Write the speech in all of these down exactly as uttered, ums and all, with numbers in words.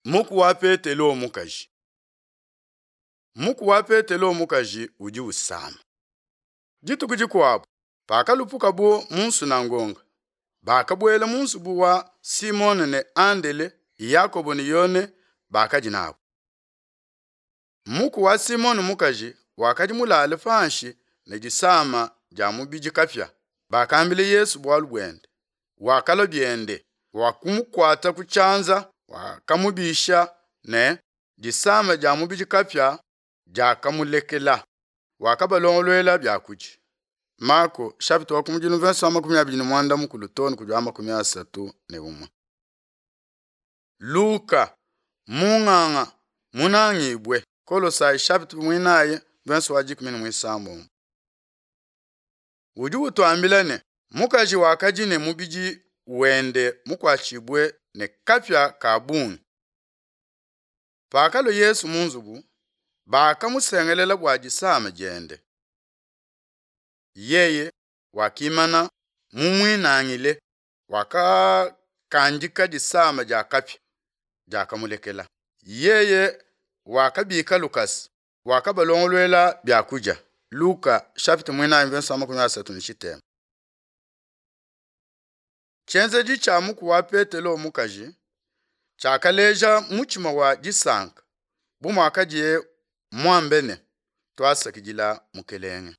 Muku wa Petelo mukaji. Muku wa Petelo mukaji udi usama. Dituku dikuabu, pakalupukabu mu nsunangonga, bakabuela mu nzubu wa Simone ne Andele, Yakobo ne Yone bakadi nabu. Muku wa Simone mukaji wakadi mulale panshi ne disama dia mubidi kapia. Bakambila Yesu bualu buende. Wakalua biende, wakumukuata ku tshianza, wakamubisha ne disama dia mubidi kapia diakamulekela. Wakabalongoluela biakudia. Mako chapitre wa kumudilu verse wa makumi abidi ne muanda mukulu too ne kudi wa makumi asatu ne umue. Luka munganga munangibwe Kolosai chapitre mwinayi verse wa dikumi ne muisambombo. Udi utuambila ne mukaji wakadi ne mubidi wende mukuatshibue ne kapia ka bungi. Pakalua Yesu mu nzubu, bakamusengelela bua disama diende. Yeye wakimana mumuinangile, wakakandika disama dia kapia diakamulekela. Yeye wakabika lukasa, wakabalongoluela biakudia. Luka chapitre mwinayi verse wa makumi asatu ne tshitema. Tshienzedi tshia muku wa Petelo mukaji tshiakaleja mutshima wa disanka bu muakadiye muambe ne tuasakidila Mukelenge.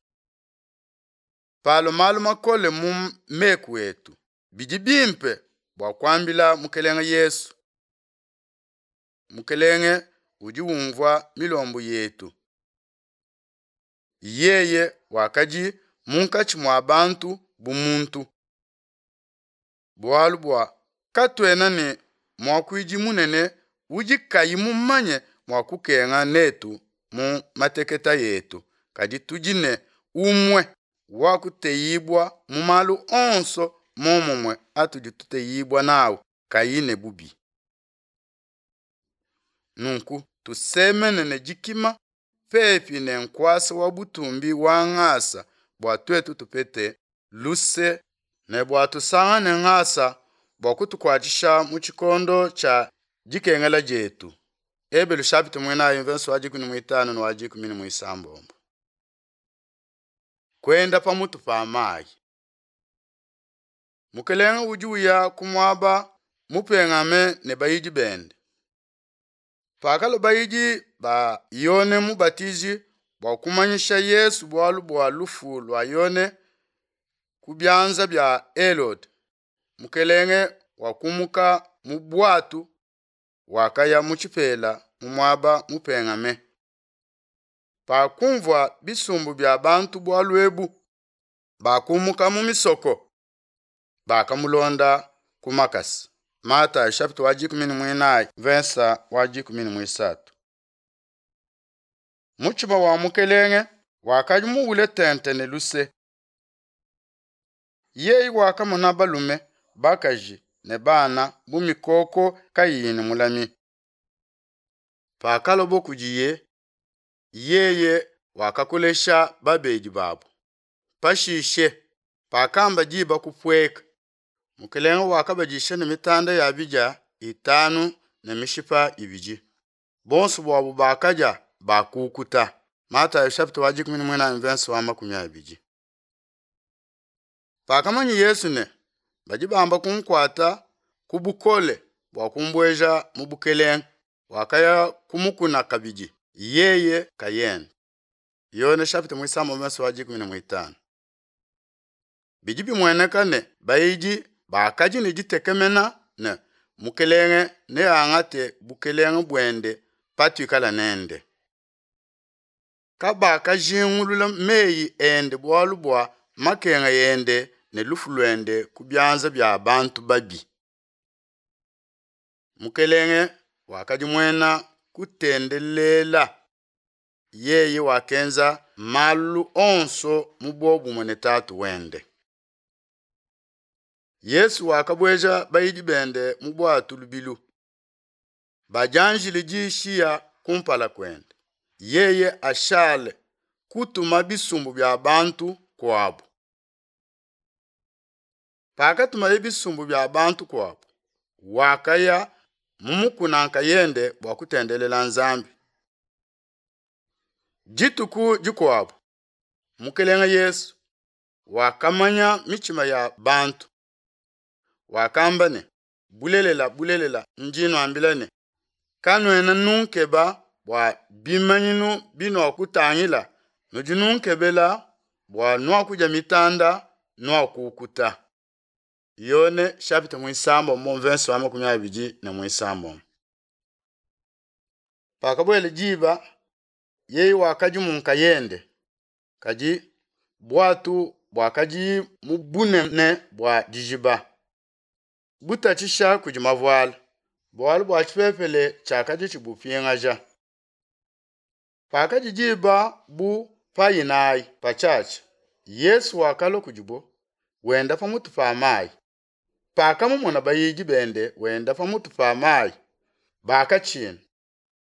Palo malu makole mu meku etu, bidi bimpe bua kuambila Mukelenge Yesu. Mukelenge udi umvua milombu yetu. Yeye wakadi munkatshi mua bantu bu muntu. Bualu bua katuena ne muakuidi munene udi kayi mumanye mua kukenga netu mu mateketa yetu, kadi tudi ne umue wa kuteyibua mu malu onso momumue atudi tuteyibua nawu kayi ne bubi. Nunku tusemene ne dikima pepi ne nkuasa wa butumbi wa ngasa bua tuetu tupete luse ne bua tusangane ngasa bua kutukuatshisha mu tshikondo tshia dikengela dietu. Ebelu chapitre mwinayi verse wa dikumi ne muitanu ne wa dikumi ne muisambombo. Kwenda pamutu pa mayi. Mukelenge udi uya ku muaba mupengame ne bayidi bende. Pakalua bayidi ba Yone Mubatiji bua kumanyisha Yesu bualu bua lufu lua Yone ku bianza bia Herode, Mukelenge wakumuka mu bwatu wakaya mu tshipela mu muaba mupengame. Pakumvua bisumbu bia bantu bualu ebu, bakumuka mu misoko, bakamulonda ku makasa. Matayo chapitre wa dikumi ne muinayi verse wa dikumi ne muisatu. Mutshima wa Mukelenge wakadi muwule tente ne luse. Yeye wakamona balume, bakaji ne bana bu mikoko kayiyi ne mulami. Pakalobo kudiye, yeye wakakolesha babedi babu. Pashishe, pakamba diba kupueka, Mukelenge wakabadisha ne mitanda ya bidia itanu ne mishipa ibidi. Bonso buabu bakadia bakukuta. Matayo chapitre wa dikumi ne muinayi verse wa makumi abidi. Pakamanya Yesu ne badi bamba kunkuata ku bukole bua kumbueja mu bukelenge, wakaya kumukuna kabidi yeye kayende. Yone chapitre muisambombo verse wa dikumi ne muitanu. Bidi bimueneka ne bayidi bakadi ne ditekemena ne Mukelenge neangate bukelenge buende patuikala nende. Kabakajingulula meyi ende bualu bua makenga ende ne lufu luende ku bianza bia bantu babi. Mukelenge wakadi muena kutendelela. Yeye wakenza malu onso mu buobumue ne Tatu wende. Yesu wakabueja bayidi bende mu bwatu lubilu. Bajanjile dishiya kumpala kuende. Yeye ashale kutuma bisumbu bia bantu kuabu. Pakatumaye bisumbu bia bantu kuabu, wakaya mu mukuna nkayende bua kutendelela Nzambi. Dituku dikuabo Mukelenge Yesu wakamanya mitshima ya bantu, wakamba ne: Bulelela, bulelela, ndi nuambila ne, Kanuena nunkeba bua bimanyinu binuakutangila, nudi nunkebela bua nuakudia mitanda, nuakukuta. Yone chapitre muisambombo verse wa makumi abidi ne muisambombo. Pakabuela diba, yeye wakadi mu nkayende, kadi bwatu bwakadi mu bunene bua dijiba, butatshisha kudi mavuala, bualu bua tshipepele tshiakadi tshibupingaja. Pakadi diba bu pa inayi patshiatshia, Yesu wakalua kudibo, wenda pamutu pa mayi. Pakamumona bayidi bende wenda pamutu pa mayi, bakatshina,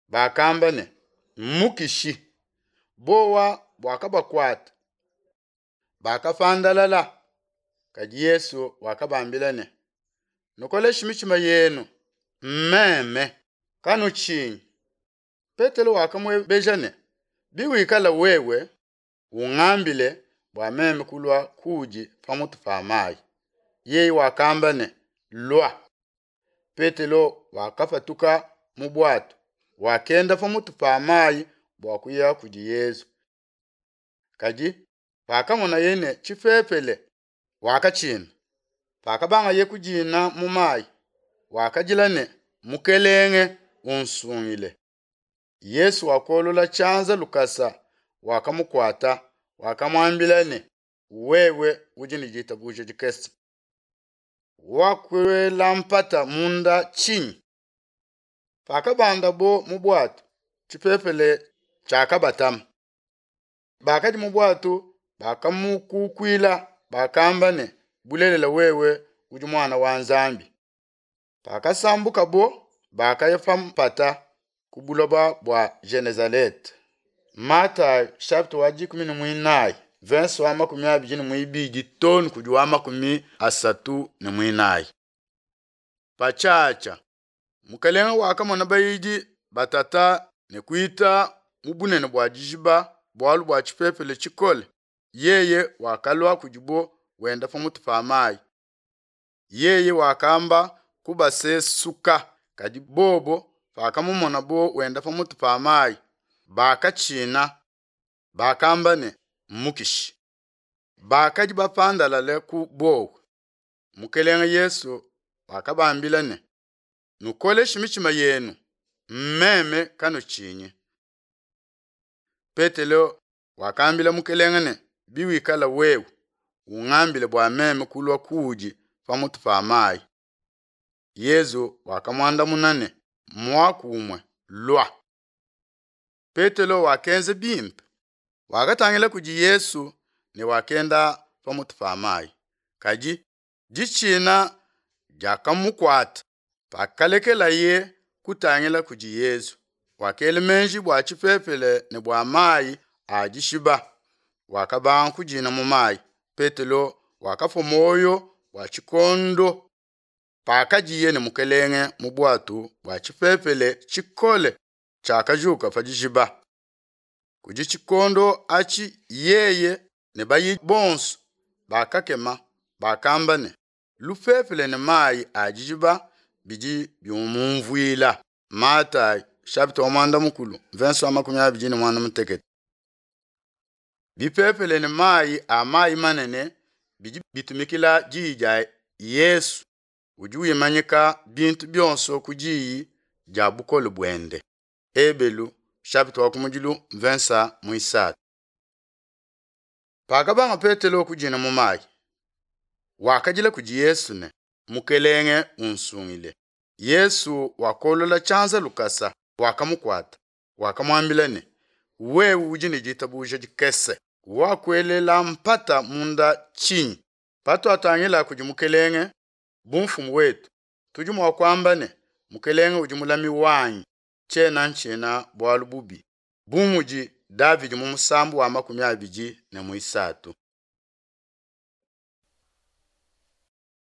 bakamba ne: Mmukishi. Bowa buakabakuata, bakapandalala. Kadi Yesu wakabambila ne: Nukoleshe mitshima yenu, mmeme, kanutshinyi. Petelo wakamuebeja ne: Biwikala wewe, ungambile bua meme kulua kuudi pamutu pa mayi. Yeye wakamba ne: Lua. Petelo wakapatuka mu bwato, wakenda pamutu pa mayi bua kuya kudi Yesu. Kadi pakamonaye ne tshipepele, wakatshina. Pakabangaye kudina mu mayi, wakadila ne: Mukelenge, unsungile. Yesu wakolola tshianza lukasa, wakamukuata, wakamuambila ne: Wewe udi ne ditabuja dikese, wakuela mpata munda tshinyi? Pakabandabo mu bwato, tshipepele tshiakabatama. Bakadi mu bwato bakamukukuila, bakamba ne: Bulelela wewe udi muana wa Nzambi. Pakasambukabo, bakaya pa mpata ku buloba bua Genezalete. Matayo chapitre wa dikumi ne muinayi verse wa makumi abidi ne muibidi too ne kudi wa makumi asatu ne muinayi. Patshiatshia Mukelenge wakamona bayidi batata ne kuita mu bunene bua dijiba bualu bua tshipepele tshikole. Yeye wakalua kudibo wenda pamutu pa mayi. Yeye wakamba kubasesuka, kadi bobo pakamumonabo wenda pamutu pa mayi, bakatshina, bakamba ne: Mmukishi. Bakadi bapandalale ku bowa. Mukelenge Yesu wakabambila ne: Nukoleshe mitshima yenu, mmeme, kanutshinyi. Petelo wakambila Mukelenge ne: Biwikala wewe, ungambile bua meme kulua kuudi pamutu pa mayi. Yesu wakamuandamuna ne: Muaku umue, lua. Petelo wakenza bimpe, wakatangila kudi Yesu ne wakenda pamutu pa mayi. Kadi ditshina diakamukuata pakalekelaye kutangila kudi Yesu. Wakela meji bua tshipepele ne bua mayi a dishiba, wakabanga kudina mu mayi. Petelo wakapua muoyo bua tshikondo pakadiye ne Mukelenge mu bwatu bua tshipepele tshikole tshiakajuka pa dijiba. Kudi tshikondo atshi yeye ne bayidi bonso bakakema, bakamba ne: Lupepele ne mayi a dijiba bidi biumumvuila. Matayo chapitre wa mwanda mukulu verse wa makumi abidi ne mwanda mutekete. Bipepele ne mayi a mayi manene bidi bitumikila diyi dia Yesu udi wimanyika bintu bionso ku diyi dia bukole buende. Ebelu chapitre wa kumudilu verse muisatu. Pakabanga Petelo kudina mu mayi, wakadila kudi Yesu ne: Mukelenge, unsungile. Yesu wakolola tshianza lukasa, wakamukuata, wakamuambila ne: Wewe udi ne ditabuja dikese, wakuelela mpata munda tshinyi? Patuatangila kudi Mukelenge bu mfumu wetu, tudi mua kuamba ne: Mukelenge udi mulami wanyi, tshiena ntshina bualu bubi, bu mudi Davidi mu musambu wa makumi abidi ne muisatu.